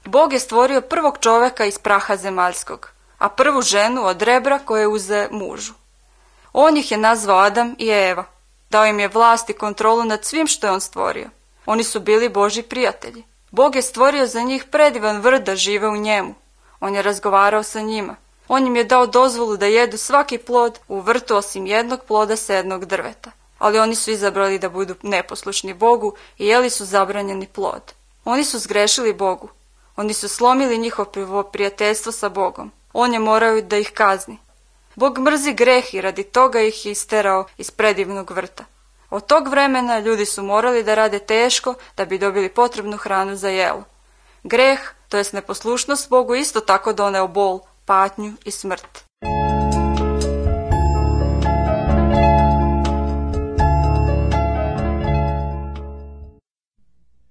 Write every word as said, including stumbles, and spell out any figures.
Bog je stvorio prvog čoveka iz praha zemaljskog, a prvu ženu od rebra koje uze mužu. On ih je nazvao Adam i Eva. Dao im je vlast i kontrolu nad svim što je on stvorio. Oni su bili Božji prijatelji. Bog je stvorio za njih predivan vrt da žive u njemu. On je razgovarao sa njima. On im je dao dozvolu da jedu svaki plod u vrtu osim jednog ploda sa jednog drveta. Ali oni su izabrali da budu neposlušni Bogu i jeli su zabranjeni plod. Oni su zgrešili Bogu. Oni su slomili njihovo prijateljstvo sa Bogom. On je morao da ih kazni. Bog mrzi greh i radi toga ih je isterao iz predivnog vrta. Od tog vremena ljudi su morali da rade teško da bi dobili potrebnu hranu za jelo. Greh, to jest neposlušnost Bogu, isto tako doneo bol, patnju i smrt.